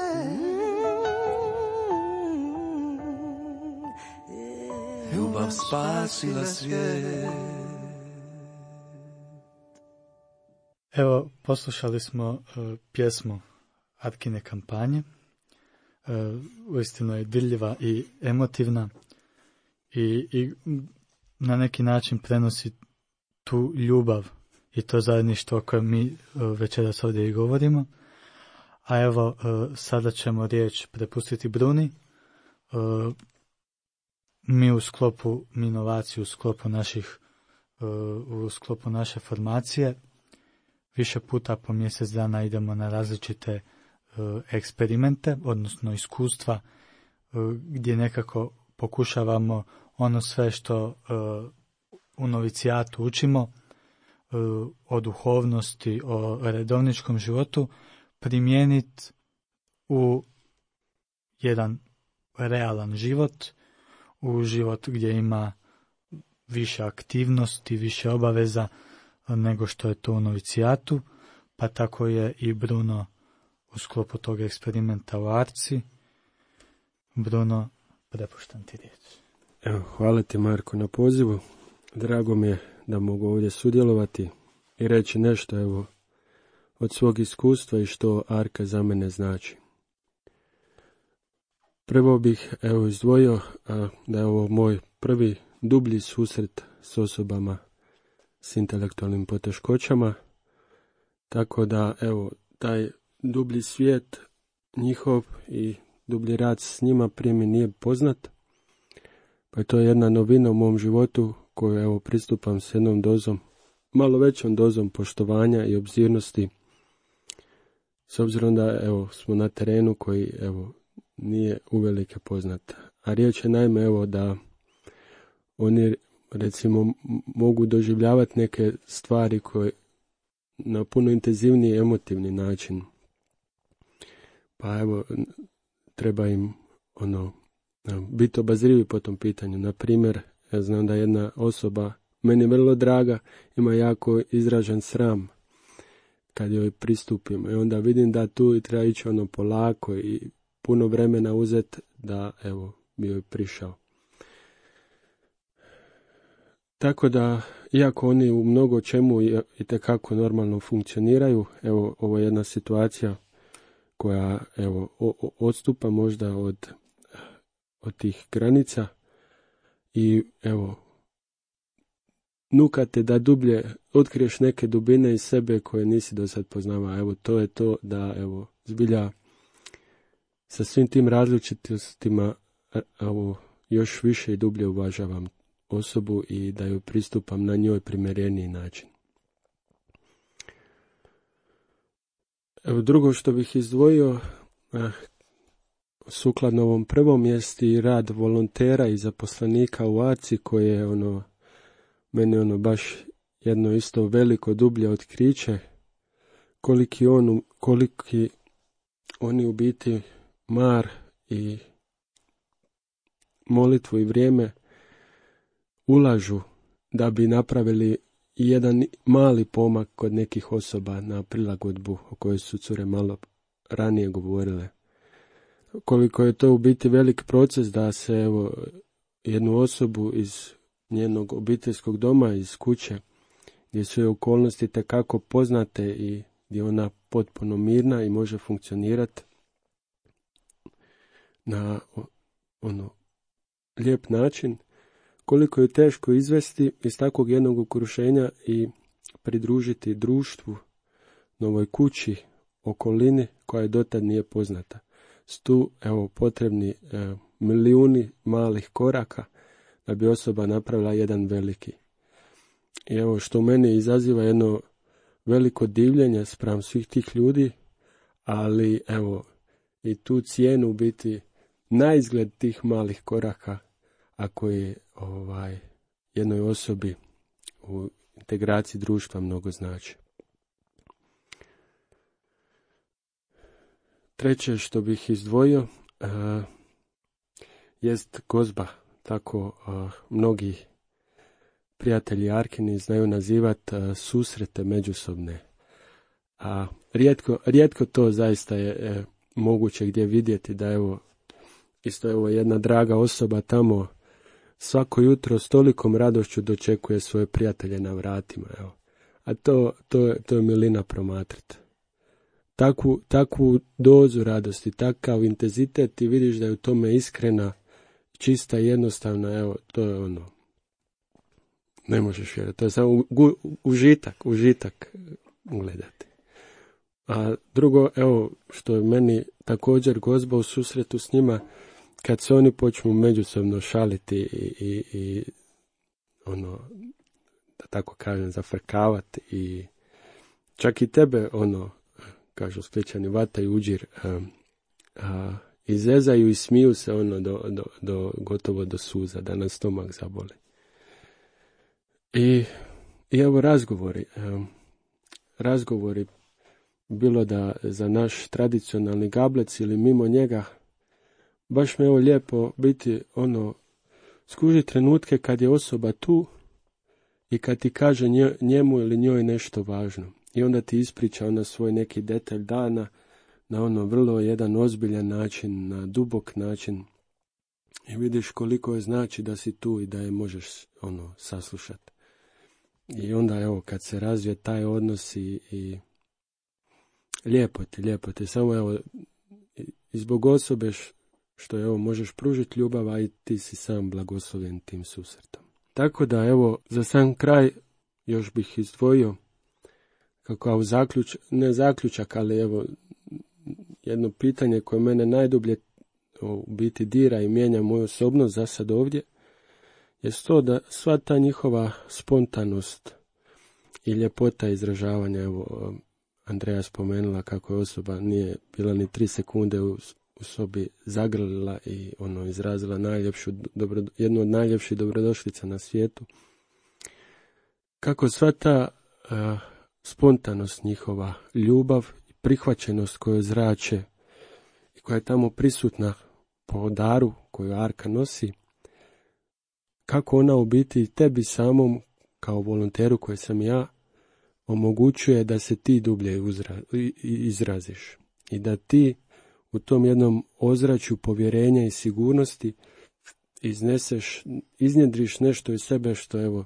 Ljubav spasila svijet. Evo, poslušali smo pjesmu Arkine kampanje. Uistinu je dirljiva i emotivna i na neki način prenosi tu ljubav i to zajedništvo o kojem mi večeras ovdje i govorimo. A evo, sada ćemo riječ prepustiti Bruni. Mi u sklopu Minovaciju, u sklopu naše formacije, više puta po mjesec dana idemo na različite eksperimente, odnosno iskustva, gdje nekako pokušavamo ono sve što u novicijatu učimo, o duhovnosti, o redovničkom životu, primijeniti u jedan realan život, u život gdje ima više aktivnosti, više obaveza nego što je to u novicijatu, pa tako je i Bruno u sklopu tog eksperimenta u Arci. Bruno, prepuštam ti riječ. Evo, hvala ti Marko na pozivu. Drago mi je da mogu ovdje sudjelovati i reći nešto evo od svog iskustva i što Arka za mene znači. Prvo bih evo izdvojio da je ovo moj prvi dublji susret s osobama s intelektualnim poteškoćama, tako da evo taj dublji svijet njihov i dublji rad s njima prije mi nije poznat, pa je to jedna novina u mom životu koju evo pristupam s jednom dozom, malo većom dozom poštovanja i obzirnosti, s obzirom da evo smo na terenu koji evo nije uvelike poznat. A riječ je naime evo da oni recimo mogu doživljavati neke stvari koje na puno intenzivniji emotivni način. Pa evo treba im biti obazrivi po tom pitanju. Na primjer, ja znam da jedna osoba meni vrlo draga ima jako izražen sram kad joj pristupim. I onda vidim da tu treba ići polako i puno vremena uzeti da evo bi joj prišao. Tako da, iako oni u mnogo čemu itekako normalno funkcioniraju, evo ovo je jedna situacija koja evo odstupa možda od tih granica i evo nukate da dublje otkriješ neke dubine iz sebe koje nisi do sad poznavao. Evo to je to da evo zbilja sa svim tim različitostima evo još više i dublje uvažavam osobu i da ju pristupam na njoj primjereniji način. Evo drugo što bih izdvojio sukladno ovom prvom jest i rad volontera i zaposlenika u Arci koje je meni baš jedno isto veliko dublje otkriće koliki oni u biti mar i molitvu i vrijeme ulažu da bi napravili jedan mali pomak kod nekih osoba na prilagodbu o kojoj su cure malo ranije govorile. Koliko je to u biti velik proces da se evo jednu osobu iz njenog obiteljskog doma, iz kuće, gdje su joj okolnosti tekako poznate i gdje ona potpuno mirna i može funkcionirati na lijep način, koliko je teško izvesti iz takvog jednog okruženja i pridružiti društvu, novoj kući, okolini koja je dotad nije poznata. S tu evo potrebni milijuni malih koraka da bi osoba napravila jedan veliki. I evo što u meni izaziva jedno veliko divljenje spram svih tih ljudi, ali evo i tu cijenu biti na izgled tih malih koraka ako je jednoj osobi u integraciji društva mnogo znači. Treće što bih izdvojio jest gozba. Tako mnogi prijatelji Arkini znaju nazivati susrete međusobne. A rijetko to zaista je moguće gdje vidjeti da evo jedna draga osoba tamo svako jutro s tolikom radošću dočekuje svoje prijatelje na vratima. Evo. A to je milina promatrati. Takvu dozu radosti, takav intenzitet i vidiš da je u tome iskrena, čista i jednostavna, evo, to je ne možeš vjerati, to je samo užitak gledati. A drugo, evo, što je meni također gozba u susretu s njima, kad se oni počnu međusobno šaliti i da tako kažem, zafrkavati i čak i tebe, kažu Splićani, vata i uđir, izezaju i smiju se gotovo do suza, da nas stomak zaboli. I evo razgovori, bilo da za naš tradicionalni gablec ili mimo njega, baš me lijepo biti skuži trenutke kad je osoba tu i kad ti kaže njemu ili njoj nešto važno i onda ti ispriča ona svoj neki detalj dana na ono vrlo jedan ozbiljan način, na dubok način i vidiš koliko je znači da si tu i da je možeš saslušati. I onda evo kad se razvije taj odnos i lijepo ti, samo evo i zbog osobe što evo možeš pružiti ljubav, a i ti si sam blagoslovljen tim susretom. Tako da evo za sam kraj još bih izdvojio kako ne zaključak, ali evo jedno pitanje koje mene najdublje u biti dira i mijenja moju osobnost za sad ovdje, je to da sva ta njihova spontanost i ljepota izražavanja, evo Andreja spomenula kako je osoba nije bila ni 3 sekunde u sobi zagrlila i izrazila jednu od najljepših dobrodošlica na svijetu. Kako sva ta spontanost njihova, ljubav i prihvaćenost koju zrače i koja je tamo prisutna po daru koju Arka nosi, kako ona u biti tebi samom kao volonteru koji sam ja omogućuje da se ti dublje izraziš i da ti u tom jednom ozračju povjerenja i sigurnosti iznjedriš nešto iz sebe što evo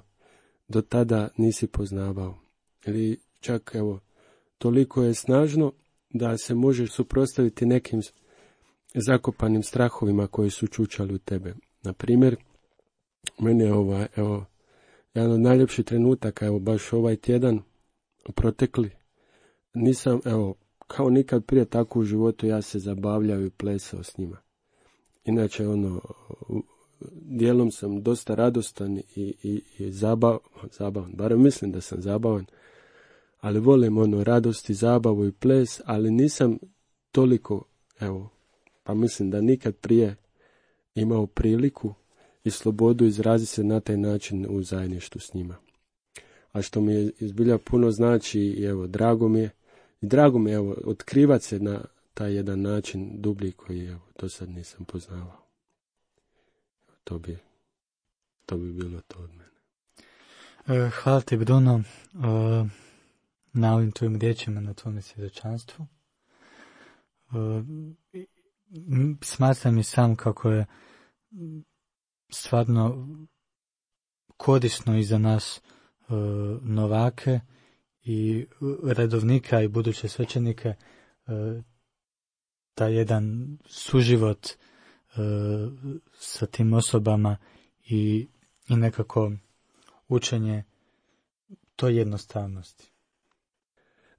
do tada nisi poznavao. Ili čak evo toliko je snažno da se možeš suprotstaviti nekim zakopanim strahovima koji su čučali u tebe. Na primjer, meni je jedan od najljepših trenutaka, evo baš ovaj tjedan protekli, nisam, kao nikad prije tako u životu ja se zabavljao i plesao s njima. Inače, dijelom sam dosta radostan i zabavan, barem mislim da sam zabavan, ali volim radost i zabavu i ples, ali nisam toliko, pa mislim da nikad prije imao priliku i slobodu izrazi se na taj način u zajedništvu s njima. A što mi je izbilja puno znači i drago mi je otkrivati se na taj jedan način dublji koji do sad nisam poznavao. To bi bilo to od mene. Hvala ti, Bruno, na ovim tvojim riječima, na tvojom svjedočanstvu. Smatram i sam kako je stvarno korisno i za nas novake i redovnika i buduće svećenike taj jedan suživot sa tim osobama i nekako učenje toj jednostavnosti.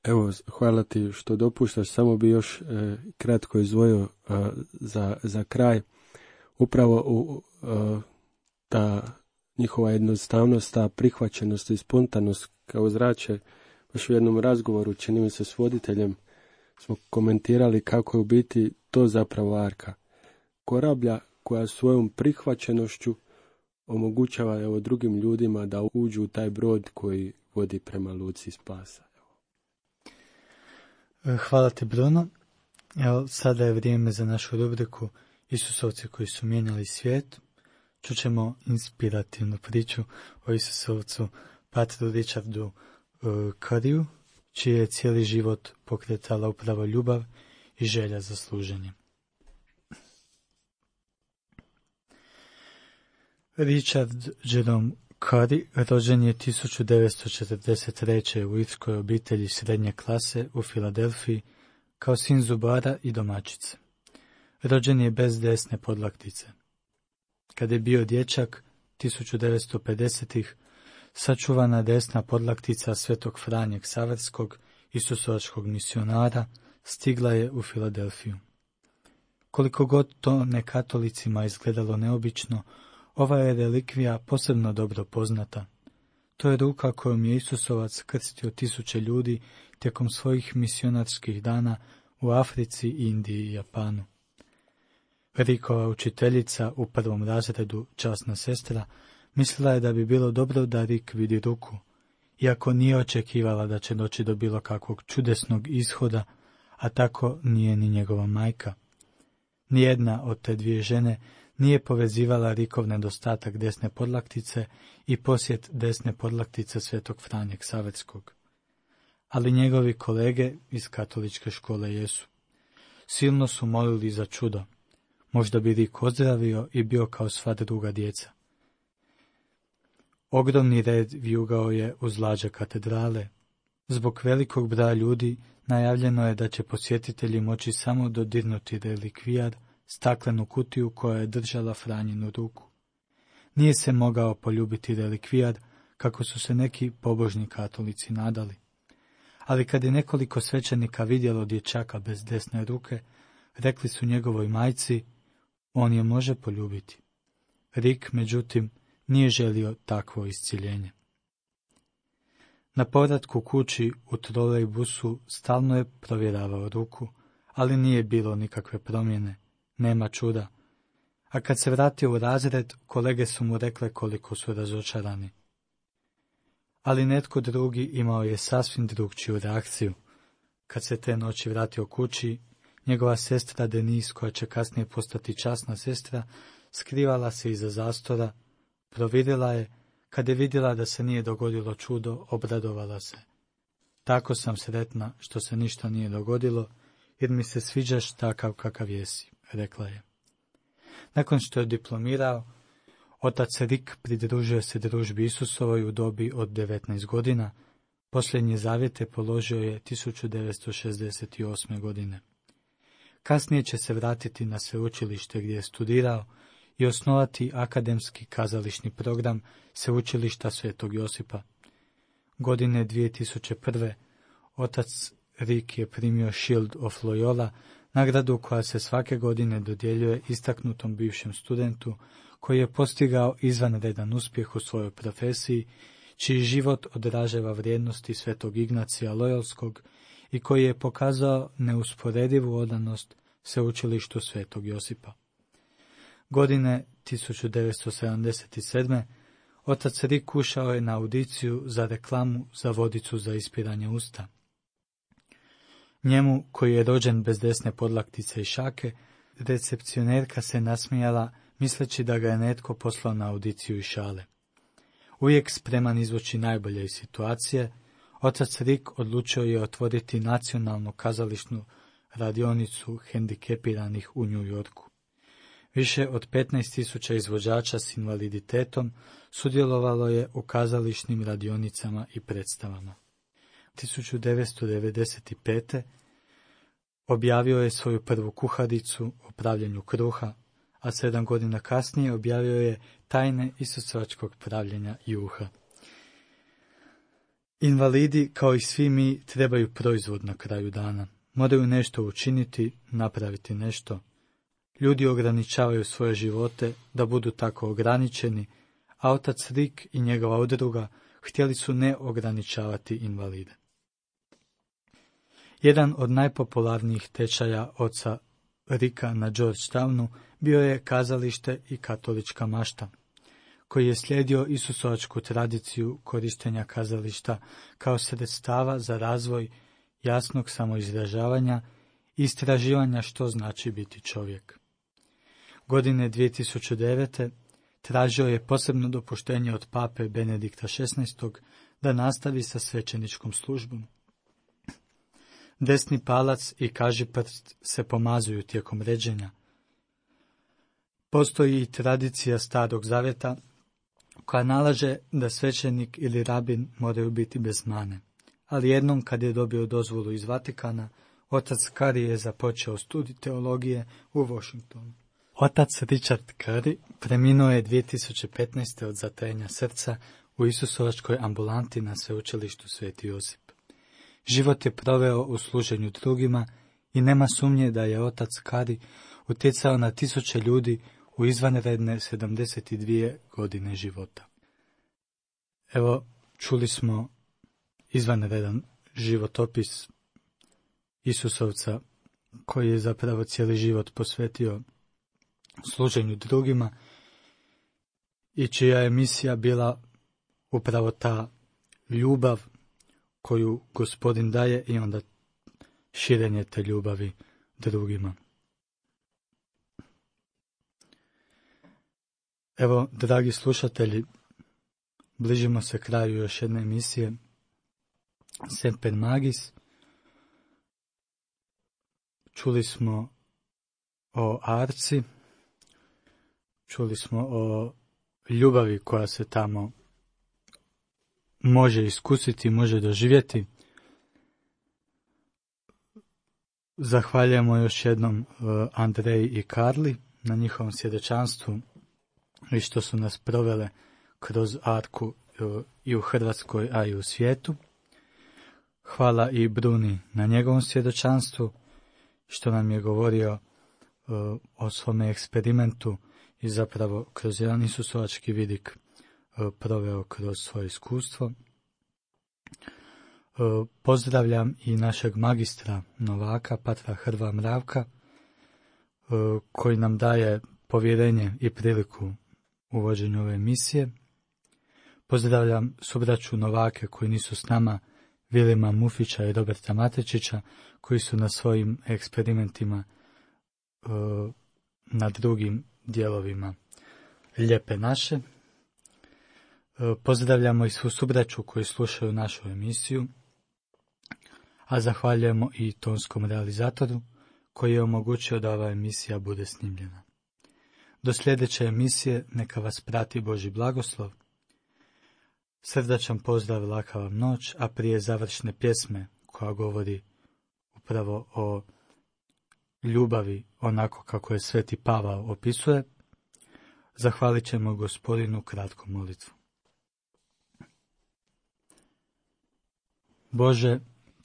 Evo, hvala ti što dopuštaš, samo bi još kratko izdvojio za kraj. Upravo ta njihova jednostavnost, ta prihvaćenost i spontanost kao zrače, baš u jednom razgovoru, čini mi se s voditeljem, smo komentirali kako je u biti to zapravo Arka. Korablja koja svojom prihvaćenošću omogućava drugim ljudima da uđu u taj brod koji vodi prema luci spasa. Hvala ti, Bruno. Evo, sada je vrijeme za našu rubriku Isusovci koji su mijenjali svijet. Čućemo inspirativnu priču o Isusovcu Patru Richardu Curryu, čiji je cijeli život pokretala upravo ljubav i želja za služenje. Richard Jerome Curry rođen je 1943. u irskoj obitelji srednje klase u Filadelfiji kao sin zubara i domaćice. Rođen je bez desne podlaktice. Kad je bio dječak, 1950-ih, sačuvana desna podlaktica Svetog Franje Ksaverskog, isusovačkog misionara, stigla je u Filadelfiju. Koliko god to nekatolicima izgledalo neobično, ova je relikvija posebno dobro poznata. To je ruka kojom je Isusovac krstio 1000 ljudi tijekom svojih misionarskih dana u Africi, Indiji i Japanu. Rikova učiteljica u 1. razredu, časna sestra, mislila je da bi bilo dobro da Rik vidi ruku, iako nije očekivala da će doći do bilo kakvog čudesnog ishoda, a tako nije ni njegova majka. Nijedna od te dvije žene nije povezivala Rikov nedostatak desne podlaktice i posjet desne podlaktice Svetog Franje Ksaverskog. Ali njegovi kolege iz katoličke škole jesu. Silno su molili za čudo. Možda bi Rik ozdravio i bio kao sva druga djeca. Ogromni red vijugao je uz lađe katedrale. Zbog velikog broja ljudi najavljeno je da će posjetitelji moći samo dodirnuti relikvijar, staklenu kutiju koja je držala Franjinu ruku. Nije se mogao poljubiti relikvijar, kako su se neki pobožni katolici nadali. Ali kad je nekoliko svećenika vidjelo dječaka bez desne ruke, rekli su njegovoj majci, on je može poljubiti. Rik, međutim, nije želio takvo isciljenje. Na povratku kući u trolejbusu stalno je provjeravao ruku, ali nije bilo nikakve promjene, nema čuda. A kad se vratio u razred, kolege su mu rekle koliko su razočarani. Ali netko drugi imao je sasvim drugčiju reakciju. Kad se te noći vratio kući, njegova sestra Denise, koja će kasnije postati časna sestra, skrivala se iza zastora, providjela je, kad je vidjela da se nije dogodilo čudo, obradovala se. Tako sam sretna što se ništa nije dogodilo, jer mi se sviđaš takav kakav jesi, rekla je. Nakon što je diplomirao, otac Rik pridružio se družbi Isusovoj u dobi od 19 godina, posljednje zavjete položio je 1968. godine. Kasnije će se vratiti na sveučilište gdje je studirao i osnovati akademski kazališni program Sveučilišta Svetog Josipa. Godine 2001. otac Rik je primio Shield of Loyola, nagradu koja se svake godine dodjeljuje istaknutom bivšem studentu koji je postigao izvanredan uspjeh u svojoj profesiji, čiji život odražava vrijednosti Svetog Ignacija Loyolskog i koji je pokazao neusporedivu odanost Sveučilištu Svetog Josipa. Godine 1977. otac Rik ušao je na audiciju za reklamu za vodicu za ispiranje usta. Njemu, koji je rođen bez desne podlaktice i šake, recepcionerka se nasmijala, misleći da ga je netko poslao na audiciju i šale. Uvijek spreman izvući najbolje iz situacije, otac Rik odlučio je otvoriti nacionalnu kazališnu radionicu hendikepiranih u New Yorku. Više od 15.000 izvođača s invaliditetom sudjelovalo je u kazališnim radionicama i predstavama. 1995. objavio je svoju prvu kuharicu o pravljenju kruha, a 7 godina kasnije objavio je tajne isusovačkog pravljenja juha. Invalidi, kao i svi mi, trebaju proizvod na kraju dana. Moraju nešto učiniti, napraviti nešto. Ljudi ograničavaju svoje živote da budu tako ograničeni, a otac Rik i njegova udruga htjeli su ne ograničavati invalide. Jedan od najpopularnijih tečaja oca Rika na Georgetownu bio je Kazalište i katolička mašta, koji je slijedio isusovačku tradiciju korištenja kazališta kao sredstava za razvoj jasnog samoizražavanja i istraživanja što znači biti čovjek. Godine 2009. tražio je posebno dopuštenje od pape Benedikta XVI. Da nastavi sa svećeničkom službom. Desni palac i kažiprst se pomazuju tijekom ređenja. Postoji i tradicija Starog Zavjeta koja nalaže da svećenik ili rabin moraju biti bez mane. Ali jednom kad je dobio dozvolu iz Vatikana, otac Curry je započeo studij teologije u Washingtonu. Otac Richard Curry preminuo je 2015. od zatajenja srca u Isusovačkoj ambulanti na sveučilištu Sveti Josip. Život je proveo u služenju drugima i nema sumnje da je otac Curry utjecao na tisuće ljudi u izvanredne 72 godine života. Evo, čuli smo izvanredan životopis Isusovca koji je zapravo cijeli život posvetio služenju drugima i čija je misija bila upravo ta ljubav koju Gospodin daje i onda širenje te ljubavi drugima. Evo, dragi slušatelji, bližimo se kraju još jedne emisije Semper Magis. Čuli smo o Arci, čuli smo o ljubavi koja se tamo može iskusiti, može doživjeti. Zahvaljujemo još jednom Andreji i Karli na njihovom svjedočanstvu i što su nas provele kroz Arku i u Hrvatskoj, a i u svijetu. Hvala i Bruni na njegovom svjedočanstvu, što nam je govorio o svome eksperimentu i zapravo kroz jedan isusovački vidik proveo kroz svoje iskustvo. Pozdravljam i našeg magistra Novaka, patra Hrva Mravka, koji nam daje povjerenje i priliku u vođenju ove emisije. Pozdravljam subraću Novake koji nisu s nama, Vilima Mufića i Roberta Matečića, koji su na svojim eksperimentima na drugim dijelovima Lijepe naše. Pozdravljamo i svu subraću koji slušaju našu emisiju, a zahvaljujemo i tonskom realizatoru koji je omogućio da ova emisija bude snimljena. Do sljedeće emisije neka vas prati Božji blagoslov. Srdačan pozdrav, laka vam noć, a prije završne pjesme koja govori upravo o ljubavi onako kako je Sveti Pavao opisuje, zahvalit ćemo Gospodinu kratku molitvu. Bože,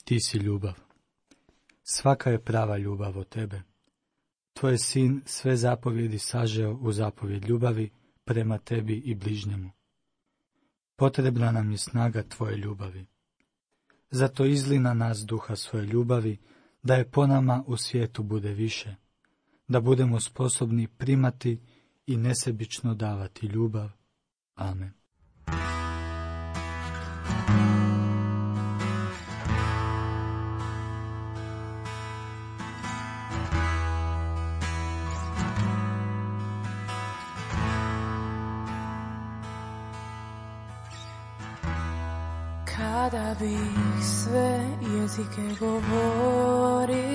ti si ljubav. Svaka je prava ljubav od tebe. Tvoj sin sve zapovjedi sažeo u zapovjed ljubavi prema tebi i bližnjemu. Potrebna nam je snaga tvoje ljubavi. Zato izli na nas duha svoje ljubavi, da je po nama u svijetu bude više, da budemo sposobni primati i nesebično davati ljubav. Amen. Kada bih sve jezike govorio,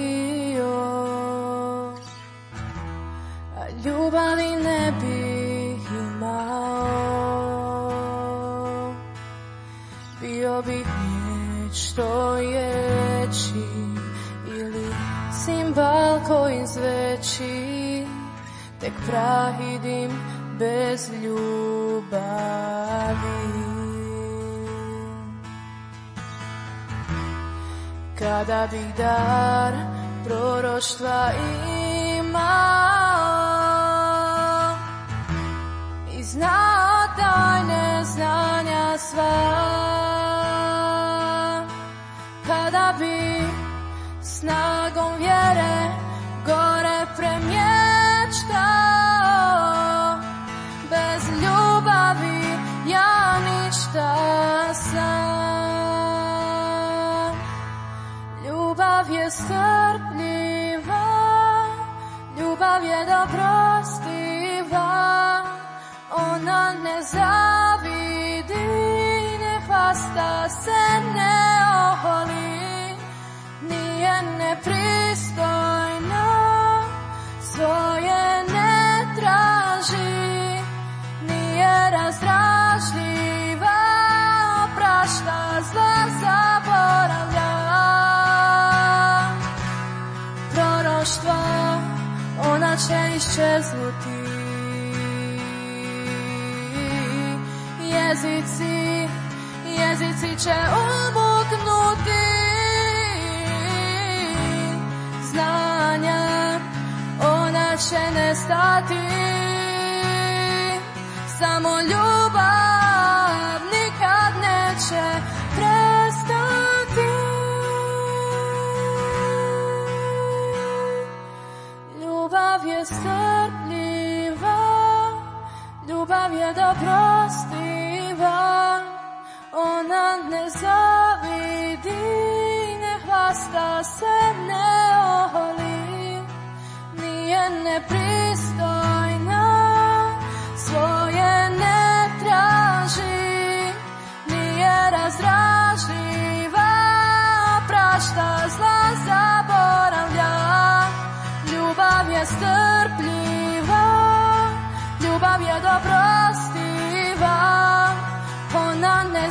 a ljubavi ne bih imao, bio bih riječ što je reći ili cimbal koji zveči, tek prah i dim bez ljubavi. Kada bih dar proroštva imao i znao tajne znanja sva, kada bih snagom vjere gore premještao, bez ljubavi ja ništa sam. Ljubav je strpljiva, ljubav je dobrostiva, ona ne zavidi, ne hvasta se, ne oholi, nije nepristojna, svoje ne traži, nije razdražljiva, oprašta zla, zaboravlja. Ona će iščeznuti, jezici će umuknuti, znanja ona će nestati, samo ljubav nikad neće prestati. Ljubav je strpljiva, ljubav je dobrostiva, ona ne zavidi, ne hvasta se, ne oholi, nije nepristojna, svoj je strpljiva, ljubav je dobrostiva, ona ne